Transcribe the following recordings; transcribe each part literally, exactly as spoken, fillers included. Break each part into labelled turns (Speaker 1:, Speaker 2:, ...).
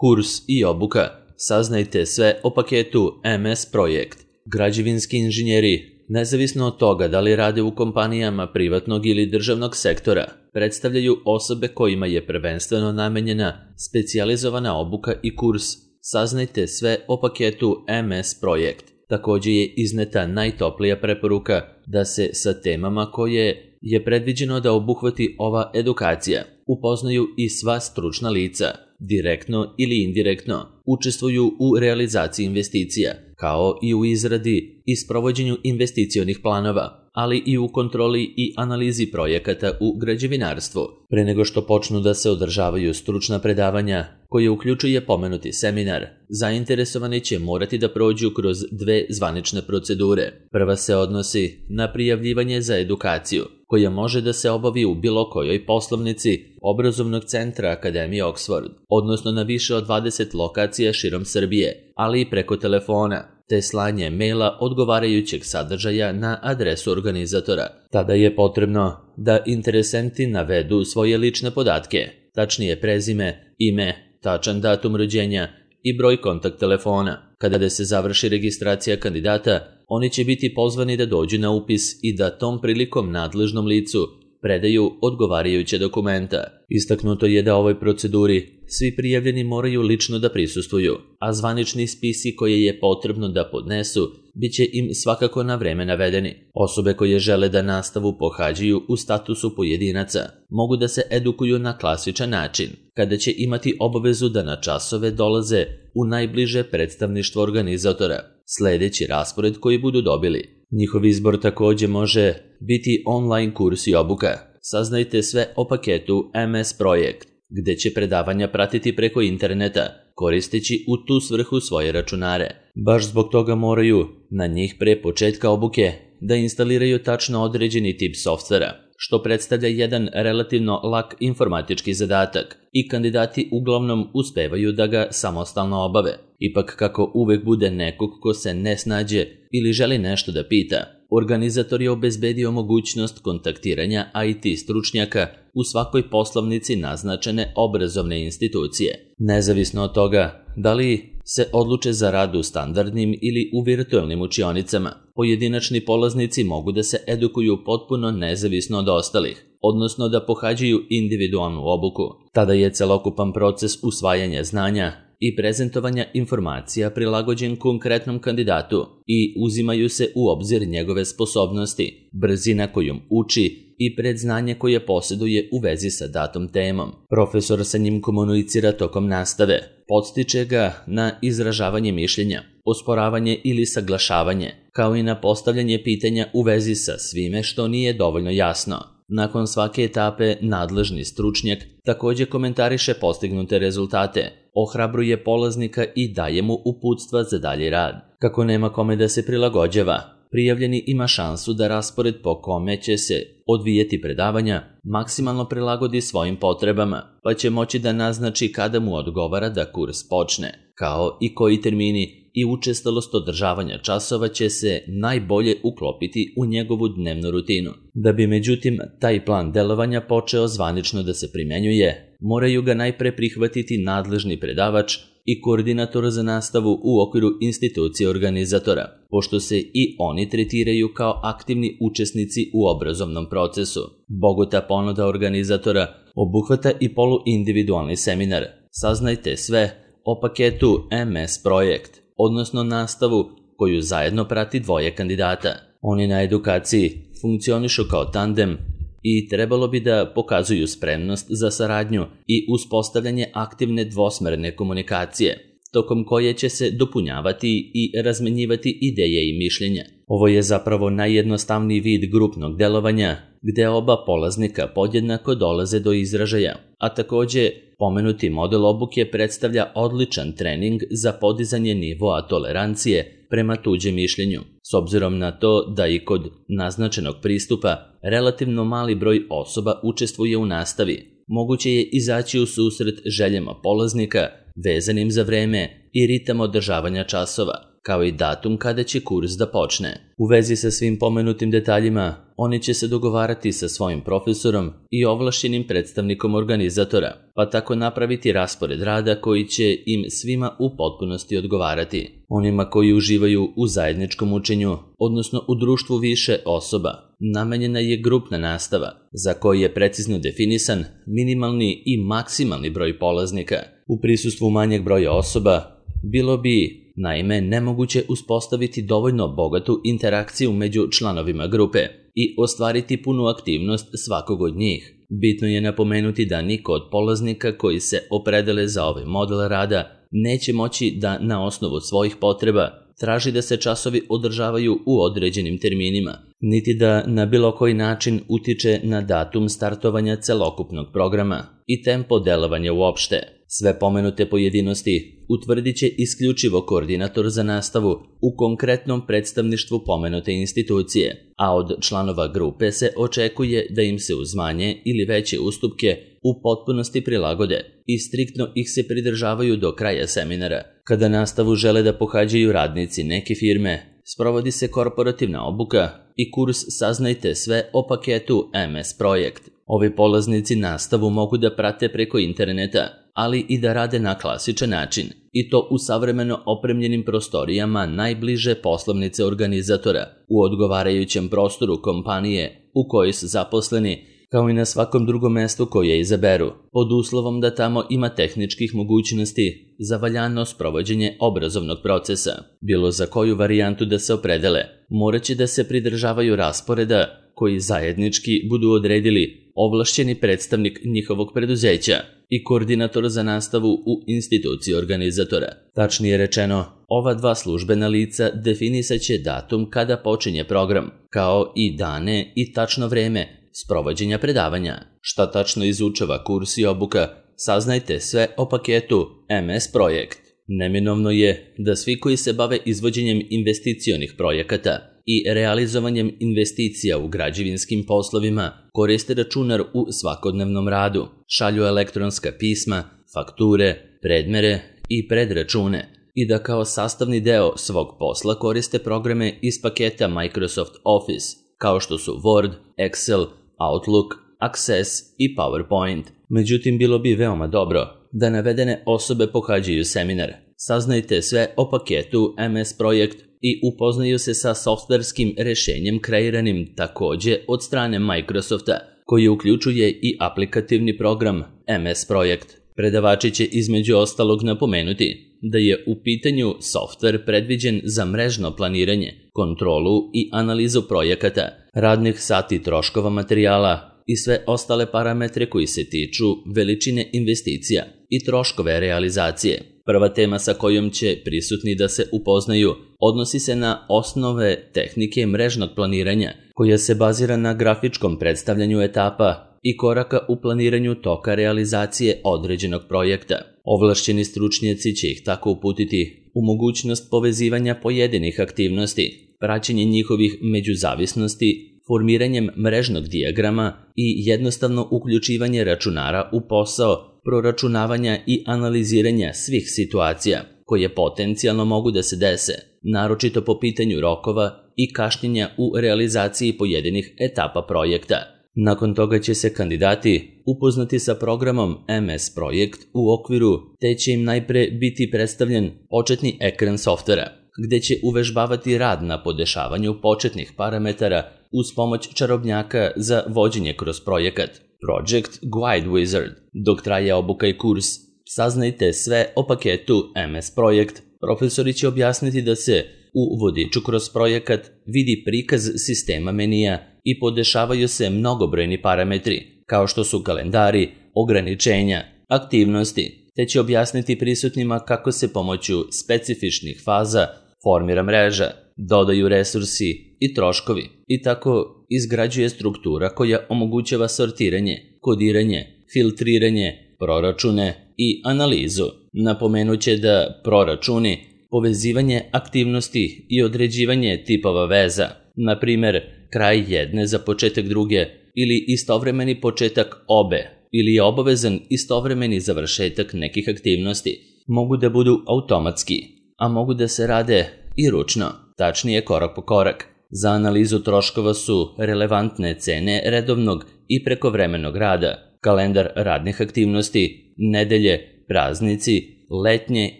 Speaker 1: Kurs i obuka. Saznajte sve o paketu M S Projekt. Građevinski inženjeri, nezavisno od toga da li rade u kompanijama privatnog ili državnog sektora, predstavljaju osobe kojima je prvenstveno namenjena specijalizovana obuka i kurs. Saznajte sve o paketu M S Projekt. Također je izneta najtoplija preporuka da se sa temama koje je predviđeno da obuhvati ova edukacija upoznaju i sva stručna lica, direktno ili indirektno učestvuju u realizaciji investicija, kao i u izradi i sprovođenju investicionih planova, ali i u kontroli i analizi projekata u građevinarstvu. Pre nego što počnu da se održavaju stručna predavanja, koje uključuje pomenuti seminar, zainteresovani će morati da prođu kroz dve zvanične procedure. Prva se odnosi na prijavljivanje za edukaciju, koja može da se obavi u bilo kojoj poslovnici obrazovnog centra Akademije Oxford, odnosno na više od dvadeset lokacija širom Srbije, ali i preko telefona, te slanje maila odgovarajućeg sadržaja na adresu organizatora. Tada je potrebno da interesenti navedu svoje lične podatke, tačnije prezime, ime, tačan datum rođenja i broj kontakt telefona. Kada se završi registracija kandidata, oni će biti pozvani da dođu na upis i da tom prilikom nadležnom licu predaju odgovarajuće dokumenta. Istaknuto je da ovoj proceduri svi prijavljeni moraju lično da prisustvuju, a zvanični spisi koje je potrebno da podnesu bit će im svakako na vreme navedeni. Osobe koje žele da nastavu pohađaju u statusu pojedinaca mogu da se edukuju na klasičan način, kada će imati obavezu da na časove dolaze u najbliže predstavništvo organizatora, sledeći raspored koji budu dobili. Njihov izbor također može biti online kurs i obuka. Saznajte sve o paketu M S Projekt, gde će predavanja pratiti preko interneta, koristeći u tu svrhu svoje računare. Baš zbog toga moraju na njih pre početka obuke da instaliraju tačno određeni tip softvera, što predstavlja jedan relativno lak informatički zadatak i kandidati uglavnom uspevaju da ga samostalno obave. Ipak kako uvek bude nekog ko se ne snađe ili želi nešto da pita, organizator je obezbedio mogućnost kontaktiranja I T stručnjaka u svakoj poslovnici naznačene obrazovne institucije. Nezavisno od toga da li se odluče za rad u standardnim ili u virtualnim učionicama, pojedinačni polaznici mogu da se edukuju potpuno nezavisno od ostalih, odnosno da pohađaju individualnu obuku. Tada je celokupan proces usvajanja znanja i prezentovanja informacija prilagođen konkretnom kandidatu i uzimaju se u obzir njegove sposobnosti, brzina kojom uči i predznanje koje posjeduje u vezi sa datom temom. Profesor sa njim komunicira tokom nastave, podstiče ga na izražavanje mišljenja, osporavanje ili saglašavanje, kao i na postavljanje pitanja u vezi sa svime što nije dovoljno jasno. Nakon svake etape nadležni stručnjak također komentariše postignute rezultate, ohrabruje polaznika i daje mu uputstva za dalji rad. Kako nema kome da se prilagođava, prijavljeni ima šansu da raspored po kome će se odvijeti predavanja maksimalno prilagodi svojim potrebama, pa će moći da naznači kada mu odgovara da kurs počne, kao i koji termini i učestalost održavanja časova će se najbolje uklopiti u njegovu dnevnu rutinu. Da bi međutim taj plan delovanja počeo zvanično da se primenjuje, moraju ga najpre prihvatiti nadležni predavač i koordinator za nastavu u okviru institucije organizatora, pošto se i oni tretiraju kao aktivni učesnici u obrazovnom procesu. Bogata ponuda organizatora obuhvata i poluindividualni seminar. Saznajte sve o paketu M S Projekt, odnosno nastavu koju zajedno prati dvoje kandidata. Oni na edukaciji funkcionišu kao tandem i trebalo bi da pokazuju spremnost za saradnju i uspostavljanje aktivne dvosmerne komunikacije, tokom koje će se dopunjavati i razmenjivati ideje i mišljenja. Ovo je zapravo najjednostavniji vid grupnog delovanja, gde oba polaznika podjednako dolaze do izražaja, a također pomenuti model obuke predstavlja odličan trening za podizanje nivoa tolerancije prema tuđem mišljenju, s obzirom na to da i kod naznačenog pristupa relativno mali broj osoba učestvuje u nastavi. Moguće je izaći u susret željama polaznika vezanim za vreme i ritam održavanja časova. kao i datum kada će kurs da počne. U vezi sa svim pomenutim detaljima, oni će se dogovarati sa svojim profesorom i ovlašćenim predstavnikom organizatora, pa tako napraviti raspored rada koji će im svima u potpunosti odgovarati. Onima koji uživaju u zajedničkom učenju, odnosno u društvu više osoba, namenjena je grupna nastava, za koji je precizno definisan minimalni i maksimalni broj polaznika. U prisustvu manjeg broja osoba bilo bi, naime, nemoguće uspostaviti dovoljno bogatu interakciju među članovima grupe i ostvariti punu aktivnost svakog od njih. Bitno je napomenuti da niko od polaznika koji se opredele za ovaj model rada neće moći da na osnovu svojih potreba traži da se časovi održavaju u određenim terminima, niti da na bilo koji način utiče na datum startovanja celokupnog programa i tempo delovanja uopšte. Sve pomenute pojedinosti utvrdit će isključivo koordinator za nastavu u konkretnom predstavništvu pomenute institucije, a od članova grupe se očekuje da im se uz manje ili veće ustupke u potpunosti prilagode i striktno ih se pridržavaju do kraja seminara. Kada nastavu žele da pohađaju radnici neke firme, sprovodi se korporativna obuka i kurs Saznajte sve o paketu em es Projekt. Ovi polaznici nastavu mogu da prate preko interneta, ali i da rade na klasičan način, i to u savremeno opremljenim prostorijama najbliže poslovnice organizatora, u odgovarajućem prostoru kompanije u kojoj su zaposleni, kao i na svakom drugom mestu koje izaberu, pod uslovom da tamo ima tehničkih mogućnosti za valjano sprovođenje obrazovnog procesa. Bilo za koju varijantu da se opredele, morat će da se pridržavaju rasporeda koji zajednički budu odredili ovlašćeni predstavnik njihovog preduzeća i koordinator za nastavu u instituciji organizatora. Tačnije rečeno, ova dva službena lica definisat će datum kada počinje program, kao i dane i tačno vreme sprovođenja predavanja. Šta tačno izučava kurs i obuka, saznajte sve o paketu em es Projekt. Neminovno je da svi koji se bave izvođenjem investicionih projekata i realizovanjem investicija u građevinskim poslovima koriste računar u svakodnevnom radu, šalju elektronska pisma, fakture, predmere i predračune i da kao sastavni deo svog posla koriste programe iz paketa Microsoft Office, kao što su Word, Excel, Outlook, Access i PowerPoint. Međutim, bilo bi veoma dobro da navedene osobe pohađaju seminar. Saznajte sve o paketu em es Projekt i upoznaju se sa softverskim rešenjem kreiranim takođe od strane Microsofta, koji uključuje i aplikativni program em es Projekt. Predavači će između ostalog napomenuti da je u pitanju softver predviđen za mrežno planiranje, kontrolu i analizu projekata, radnih sati troškova materijala i sve ostale parametre koji se tiču veličine investicija i troškove realizacije. Prva tema sa kojom će prisutni da se upoznaju odnosi se na osnove tehnike mrežnog planiranja, koja se bazira na grafičkom predstavljanju etapa i koraka u planiranju toka realizacije određenog projekta. Ovlašćeni stručnjaci će ih tako uputiti u mogućnost povezivanja pojedinih aktivnosti, praćenje njihovih međuzavisnosti, formiranjem mrežnog dijagrama i jednostavno uključivanje računara u posao proračunavanja i analiziranja svih situacija koje potencijalno mogu da se dese, naročito po pitanju rokova i kašnjenja u realizaciji pojedinih etapa projekta. Nakon toga će se kandidati upoznati sa programom em es Projekt u okviru, te će im najpre biti predstavljen početni ekran softvera, gde će uvežbavati rad na podešavanju početnih parametara uz pomoć čarobnjaka za vođenje kroz projekat Project Guide Wizard. Dok traje obuka i kurs, saznajte sve o paketu em es Projekt. Profesori će objasniti da se u vodiču kroz projekat vidi prikaz sistema menija i podešavaju se mnogobrojni parametri, kao što su kalendari, ograničenja, aktivnosti, te će objasniti prisutnima kako se pomoću specifičnih faza formira mreža, dodaju resursi i troškovi i tako izgrađuje struktura koja omogućava sortiranje, kodiranje, filtriranje, proračune i analizu. Napomenuće da proračuni, povezivanje aktivnosti i određivanje tipova veza, na primer kraj jedne za početak druge ili istovremeni početak obe ili je obavezan istovremeni završetak nekih aktivnosti, mogu da budu automatski, a mogu da se rade i ručno, tačnije korak po korak. Za analizu troškova su relevantne cene redovnog i prekovremenog rada, kalendar radnih aktivnosti, nedelje, praznici, letnje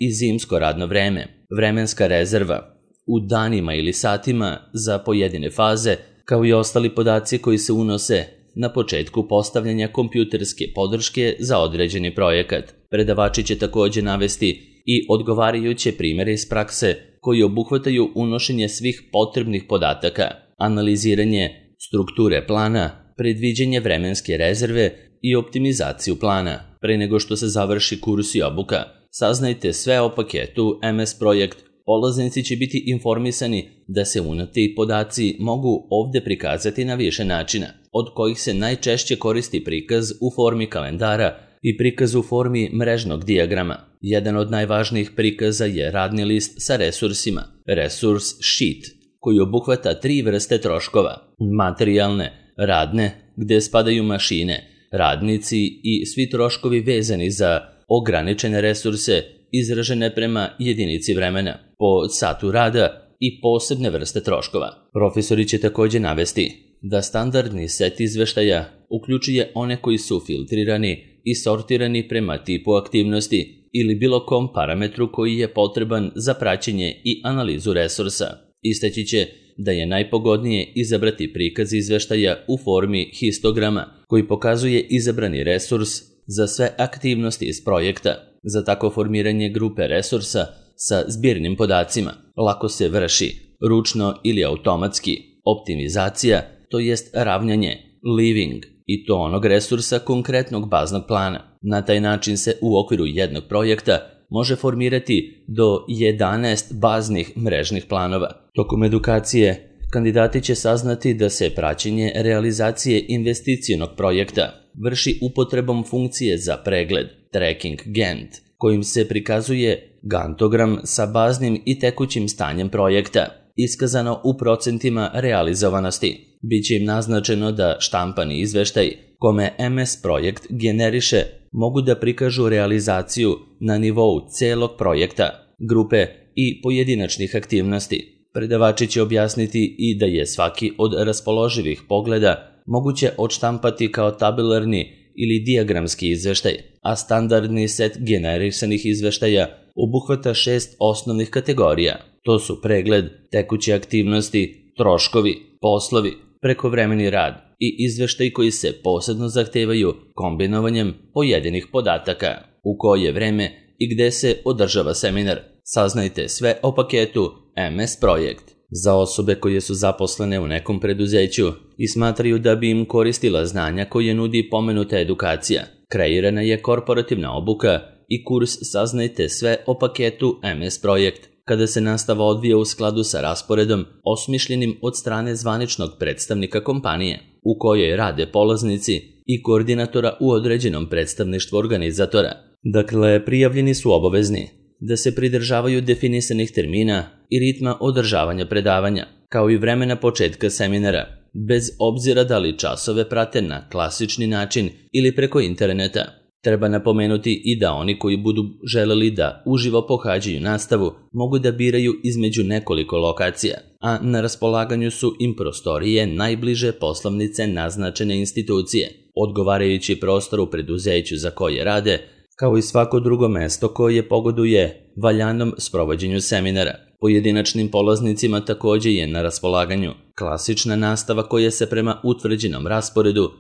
Speaker 1: i zimsko radno vreme, vremenska rezerva, u danima ili satima za pojedine faze, kao i ostali podaci koji se unose na početku postavljanja kompjuterske podrške za određeni projekat. Predavači će također navesti i odgovarajuće primjere iz prakse koji obuhvataju unošenje svih potrebnih podataka, analiziranje strukture plana, predviđenje vremenske rezerve i optimizaciju plana. Pre nego što se završi kurs i obuka, saznajte sve o paketu em es Projekt. Polaznici će biti informisani da se unati podaci mogu ovdje prikazati na više načina, od kojih se najčešće koristi prikaz u formi kalendara i prikaz u formi mrežnog dijagrama. Jedan od najvažnijih prikaza je radni list sa resursima, resurs sheet, koji obuhvata tri vrste troškova: materijalne, radne, gde spadaju mašine, radnici i svi troškovi vezani za ograničene resurse izražene prema jedinici vremena, po satu rada i posebne vrste troškova. Profesori će također navesti da standardni set izveštaja uključuje one koji su filtrirani i sortirani prema tipu aktivnosti ili bilo kom parametru koji je potreban za praćenje i analizu resursa. Istaći će da je najpogodnije izabrati prikaz izveštaja u formi histograma koji pokazuje izabrani resurs za sve aktivnosti iz projekta. Za tako formiranje grupe resursa sa zbirnim podacima lako se vrši ručno ili automatski optimizacija, to jest ravnjanje, leaving, i to onog resursa konkretnog baznog plana. Na taj način se u okviru jednog projekta može formirati do jedanaest baznih mrežnih planova. Tokom edukacije kandidati će saznati da se praćenje realizacije investicionog projekta vrši upotrebom funkcije za pregled, tracking Gantt, kojim se prikazuje gantogram sa baznim i tekućim stanjem projekta, iskazano u procentima realizovanosti. Biće im naznačeno da štampani izveštaj kome em es Projekt generiše mogu da prikažu realizaciju na nivou celog projekta, grupe i pojedinačnih aktivnosti. Predavači će objasniti i da je svaki od raspoloživih pogleda moguće odštampati kao tabelarni ili dijagramski izveštaj, a standardni set generisanih izveštaja obuhvata šest osnovnih kategorija. To su pregled, tekuće aktivnosti, troškovi, poslovi, prekovremeni rad i izveštaj koji se posebno zahtevaju kombinovanjem pojedinih podataka, u koje vreme i gde se održava seminar. Saznajte sve o paketu em es Projekt. Za osobe koje su zaposlene u nekom preduzeću i smatraju da bi im koristila znanja koje nudi pomenuta edukacija, kreirana je korporativna obuka i kurs Saznajte sve o paketu em es Projekt, kada se nastava odvija u skladu sa rasporedom osmišljenim od strane zvaničnog predstavnika kompanije, u kojoj rade polaznici i koordinatora u određenom predstavništvu organizatora. Dakle, prijavljeni su obavezni da se pridržavaju definisanih termina i ritma održavanja predavanja, kao i vremena početka seminara, bez obzira da li časove prate na klasični način ili preko interneta. Treba napomenuti i da oni koji budu želeli da uživo pohađaju nastavu mogu da biraju između nekoliko lokacija, a na raspolaganju su im prostorije najbliže poslovnice naznačene institucije, odgovarajući prostor u preduzeću za koje rade, kao i svako drugo mesto koje pogoduje valjanom sprovođenju seminara. Pojedinačnim polaznicima također je na raspolaganju klasična nastava koja se prema utvrđenom rasporedu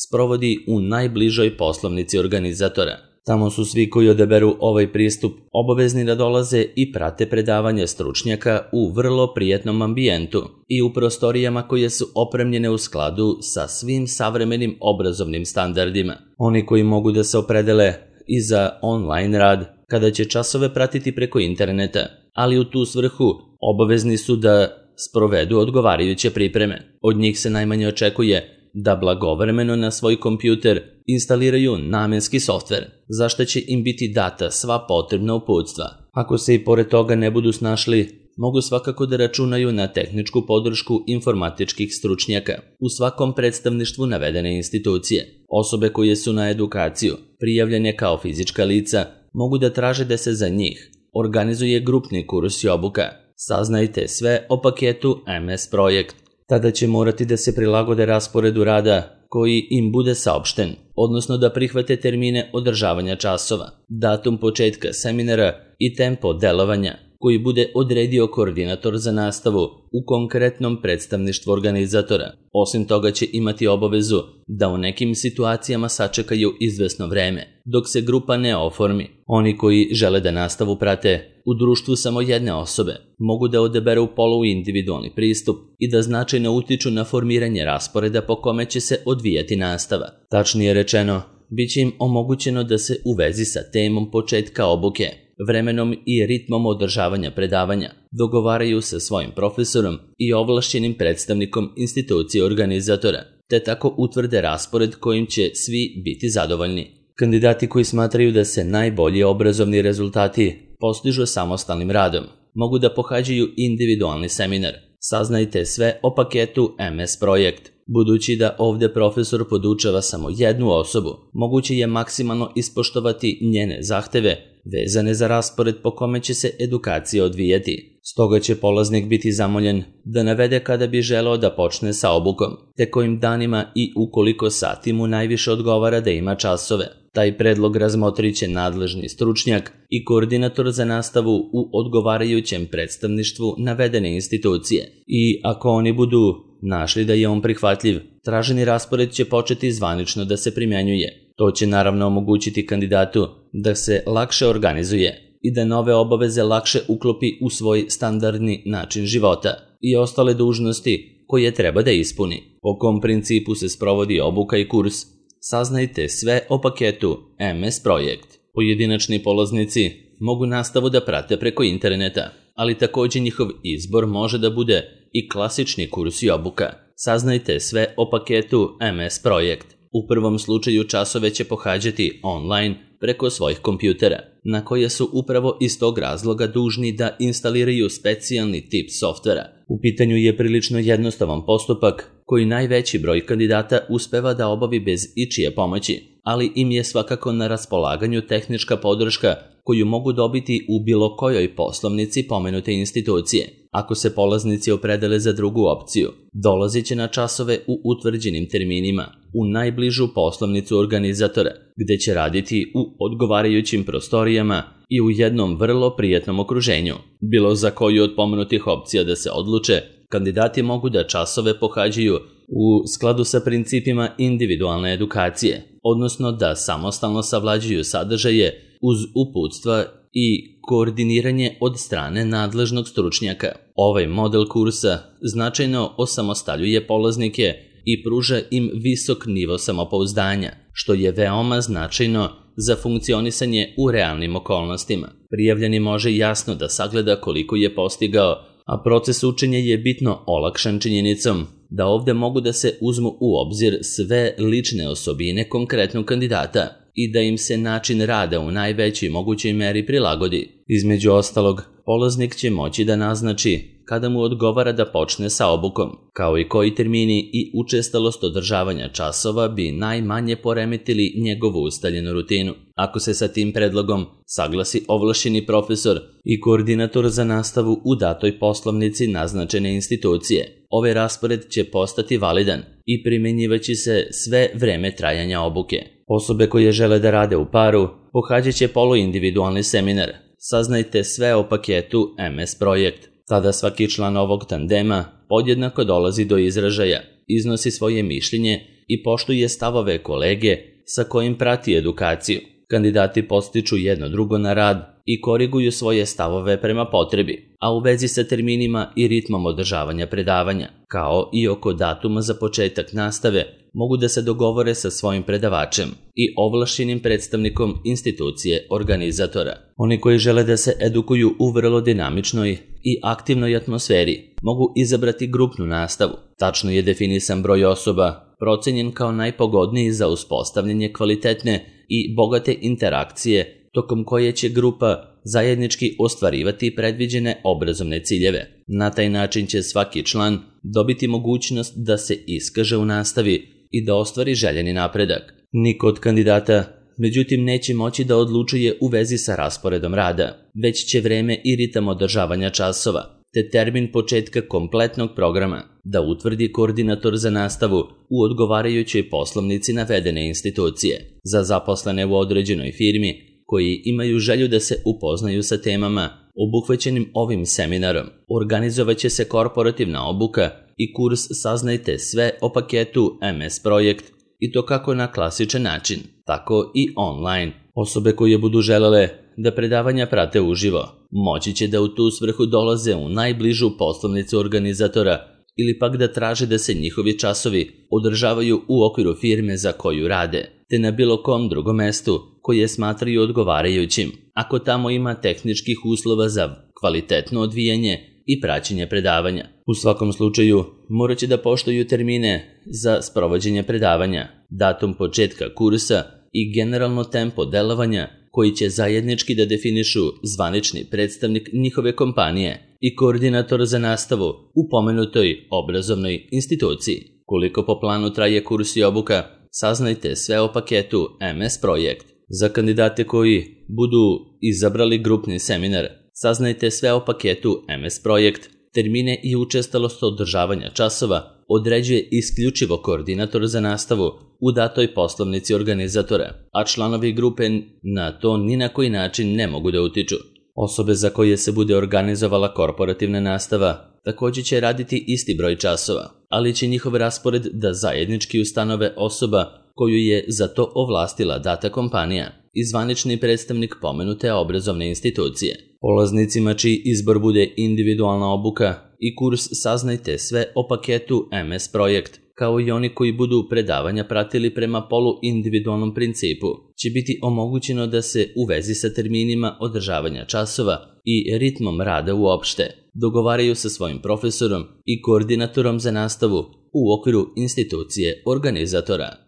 Speaker 1: sprovodi u najbližoj poslovnici organizatora. Tamo su svi koji odaberu ovaj pristup obavezni da dolaze i prate predavanje stručnjaka u vrlo prijetnom ambijentu i u prostorijama koje su opremljene u skladu sa svim savremenim obrazovnim standardima. Oni koji mogu da se opredele i za online rad, kada će časove pratiti preko interneta, ali u tu svrhu obavezni su da sprovedu odgovarajuće pripreme. Od njih se najmanje očekuje da blagovremeno na svoj kompjuter instaliraju namenski softver, za što će im biti data sva potrebna uputstva. Ako se i pored toga ne budu snašli, mogu svakako da računaju na tehničku podršku informatičkih stručnjaka u svakom predstavništvu navedene institucije. Osobe koje su na edukaciju prijavljene kao fizička lica mogu da traže da se za njih organizuje grupni kurs i obuka, Saznajte sve o paketu M S Projekt. Tada će morati da se prilagode rasporedu rada koji im bude saopšten, odnosno da prihvate termine održavanja časova, datum početka seminara i tempo delovanja koji bude odredio koordinator za nastavu u konkretnom predstavništvu organizatora. Osim toga će imati obavezu da u nekim situacijama sačekaju izvesno vreme, dok se grupa ne oformi. Oni koji žele da nastavu prate u društvu samo jedne osobe mogu da odaberu poluindividualni pristup i da značajno utiču na formiranje rasporeda po kome će se odvijati nastava. Tačnije rečeno, bit će im omogućeno da se u vezi sa temom početka obuke, vremenom i ritmom održavanja predavanja dogovaraju sa svojim profesorom i ovlašćenim predstavnikom institucije organizatora, te tako utvrde raspored kojim će svi biti zadovoljni. Kandidati koji smatraju da se najbolji obrazovni rezultati postižu samostalnim radom mogu da pohađaju individualni seminar. Saznajte sve o paketu M S Projekt. Budući da ovde profesor podučava samo jednu osobu, moguće je maksimalno ispoštovati njene zahteve vezane za raspored po kome će se edukacija odvijati. Stoga će polaznik biti zamoljen da navede kada bi želeo da počne sa obukom, te kojim danima i u koliko sati mu najviše odgovara da ima časove. Taj predlog razmotrit će nadležni stručnjak i koordinator za nastavu u odgovarajućem predstavništvu navedene institucije. I ako oni budu našli da je on prihvatljiv, traženi raspored će početi zvanično da se primjenjuje. To će naravno omogućiti kandidatu da se lakše organizuje i da nove obaveze lakše uklopi u svoj standardni način života i ostale dužnosti koje treba da ispuni. Po kom principu se sprovodi obuka i kurs? Saznajte sve o paketu M S Projekt. Pojedinačni polaznici mogu nastavu da prate preko interneta, ali također njihov izbor može da bude i klasični kurs i obuka. Saznajte sve o paketu M S Projekt. U prvom slučaju časove će pohađati online preko svojih kompjutera, na koje su upravo iz tog razloga dužni da instaliraju specijalni tip softvera. U pitanju je prilično jednostavan postupak koji najveći broj kandidata uspeva da obavi bez ičije pomoći, ali im je svakako na raspolaganju tehnička podrška koju mogu dobiti u bilo kojoj poslovnici pomenute institucije. Ako se polaznici opredele za drugu opciju, dolazit će na časove u utvrđenim terminima u najbližu poslovnicu organizatora, gde će raditi u odgovarajućim prostorijama i u jednom vrlo prijatnom okruženju. Bilo za koju od pomenutih opcija da se odluče, kandidati mogu da časove pohađaju u skladu sa principima individualne edukacije, odnosno da samostalno savlađuju sadržaje uz uputstva i koordiniranje od strane nadležnog stručnjaka. Ovaj model kursa značajno osamostaljuje polaznike i pruža im visok nivo samopouzdanja, što je veoma značajno za funkcionisanje u realnim okolnostima. Prijavljeni može jasno da sagleda koliko je postigao, a proces učenja je bitno olakšan činjenicom da ovde mogu da se uzmu u obzir sve lične osobine konkretnog kandidata i da im se način rada u najvećoj mogućoj meri prilagodi. Između ostalog, polaznik će moći da naznači kada mu odgovara da počne sa obukom, kao i koji termini i učestalost održavanja časova bi najmanje poremetili njegovu ustaljenu rutinu. Ako se sa tim predlogom saglasi ovlašćeni profesor i koordinator za nastavu u datoj poslovnici naznačene institucije, ovaj raspored će postati validan i primenjivaće se sve vreme trajanja obuke. Osobe koje žele da rade u paru pohađat će poluindividualni seminar. Saznajte sve o paketu M S Projekt. Tada svaki član ovog tandema podjednako dolazi do izražaja, iznosi svoje mišljenje i poštuje stavove kolege sa kojim prati edukaciju. Kandidati podstiču jedno drugo na rad i koriguju svoje stavove prema potrebi, a u vezi sa terminima i ritmom održavanja predavanja, kao i oko datuma za početak nastave, mogu da se dogovore sa svojim predavačem i ovlašćenim predstavnikom institucije organizatora. Oni koji žele da se edukuju u vrlo dinamičnoj i aktivnoj atmosferi mogu izabrati grupnu nastavu. Tačno je definisan broj osoba, procenjen kao najpogodniji za uspostavljanje kvalitetne i bogate interakcije tokom koje će grupa zajednički ostvarivati predviđene obrazovne ciljeve. Na taj način će svaki član dobiti mogućnost da se iskaže u nastavi i da ostvari željeni napredak. Niko od kandidata, međutim, neće moći da odlučuje u vezi sa rasporedom rada, već će vreme i ritam održavanja časova, te termin početka kompletnog programa da utvrdi koordinator za nastavu u odgovarajućoj poslovnici navedene institucije. Za zaposlene u određenoj firmi koji imaju želju da se upoznaju sa temama obuhvaćenim ovim seminarom, organizovaće se korporativna obuka i kurs Saznajte sve o paketu M S Projekt, i to kako na klasičan način, tako i online. Osobe koje budu želele da predavanja prate uživo moći će da u tu svrhu dolaze u najbližu poslovnicu organizatora ili pak da traže da se njihovi časovi održavaju u okviru firme za koju rade, te na bilo kom drugom mestu koje smatraju odgovarajućim, ako tamo ima tehničkih uslova za kvalitetno odvijanje i praćenje predavanja. U svakom slučaju, morat će da poštuju termine za sprovođenje predavanja, datum početka kursa i generalno tempo delovanja koji će zajednički da definišu zvanični predstavnik njihove kompanije i koordinator za nastavu u pomenutoj obrazovnoj instituciji. Koliko po planu traje kurs i obuka, saznajte sve o paketu M S Projekt. Za kandidate koji budu izabrali grupni seminar, saznajte sve o paketu M S Projekt. Termine i učestalost održavanja časova određuje isključivo koordinator za nastavu u datoj poslovnici organizatora, a članovi grupe na to ni na koji način ne mogu da utiču. Osobe za koje se bude organizovala korporativna nastava također će raditi isti broj časova, ali će njihov raspored da zajednički ustanove osoba koju je za to ovlastila data kompanija i zvanični predstavnik pomenute obrazovne institucije. Polaznicima čiji izbor bude individualna obuka i kurs Saznajte sve o paketu M S Projekt, kao i oni koji budu predavanja pratili prema polu-individualnom principu, će biti omogućeno da se u vezi sa terminima održavanja časova i ritmom rada uopšte dogovaraju sa svojim profesorom i koordinatorom za nastavu u okviru institucije organizatora.